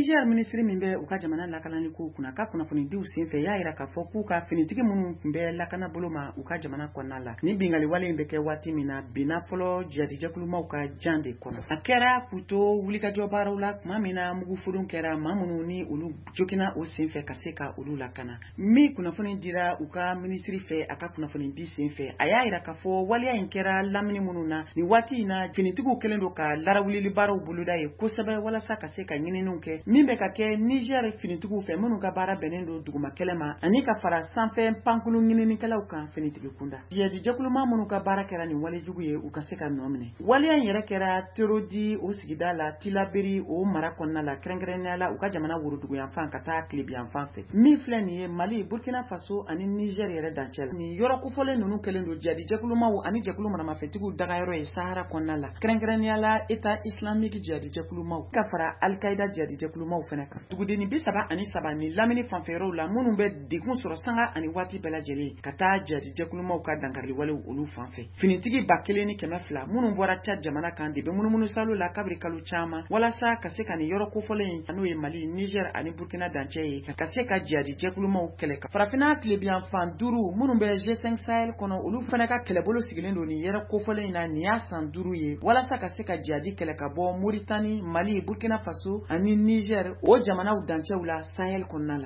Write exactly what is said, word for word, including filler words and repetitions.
Niger minisiri min bɛ u ka jamana lakanani kow kunna, ka kunnafonidiw senfɛ, y'a jira k'a fɔ k'u ka finitigi minnu tun bɛ lakana bolo ma u ka jamana kɔnɔna la, ni bingali wale in bɛ kɛ waati min na, binna fɔlɔ jihadijɛkulumaw ka jan de kɔnɔ. A kɛra k'u to wulikajɔ baaraw la tuma min na mugufurun kɛra, maa minnu ni olu jogina o senfɛ, ka se ka olu lakana. Min kunnafoni dira u ka minisiri fɛ a ka kunnafonidi senfɛ, a y'a jira k'a fɔ waleya in kɛra lamini minnu na nin waati in na, finitigiw kɛlen don ka larawulili baaraw boloda ye kosɛbɛ walasa ka se ka ɲininiw kɛ min bɛ ka kɛ Niger finitigiw fɛ, minnu ka baara bɛnnen don duguma kɛlɛ ma, ani ka fara sanfɛ pankulu ɲininikɛlaw kan finitigi kunda. Jihadijɛkuluma minnu ka baara kɛra nin walejugu ye, u ka se ka nɔ minɛ. Waleya in yɛrɛ kɛra Torodi o sigida la, Tilaberi o mara kɔnɔna la, kɛrɛnkɛrɛnnenya la u ka jamana woroduguyanfan ka taa tilebiyanfan fɛ. Min filɛ nin ye, Mali, Burkina Faso ani Niger yɛrɛ dancɛ la. Nin yɔrɔ kofɔlen ninnu kɛlen don jihadijɛkulumaw ani jɛkulu maramafɛntigiw dagayɔrɔ ye Sahara kɔnɔna la, kɛrɛnkɛrɛnnenya la État islamique jihadijɛkulumaw ka fara Al-Qaïda jihadijɛkulumaw fana kan. Dugudenni bi saba ani saba ni lamini fanfɛyɔrɔw la, minnu bɛ degun sɔrɔ sanga ani waati bɛɛ lajɛlen ka taa jihadijɛkulumaw ka dankariliwalew olu fan fɛ. Finitigi ba kelen ni kɛmɛ fila minnu bɔra Tchad jamana kan de bɛ munumunu salo la kabiri kalo caman, walasa ka se ka nin yɔrɔ kofɔlen in, n'o ye Mali, Niger ani Burkina dancɛ ye, ka se ka jihadijɛkulumaw kɛlɛ. Ka farafinna tilebiyanfan duuru minnu bɛ G cinq Sahel kɔnɔ, olu fana ka kɛlɛbolo sigilen don nin yɔrɔ kofɔlen in na. Nin y'a san duuru ye walasa ka se ka jihadi kɛlɛ ka bɔ Moritani, Mali, Burkina Faso ani Niger o jamanaw dancɛw la Sahel kɔnɔna la.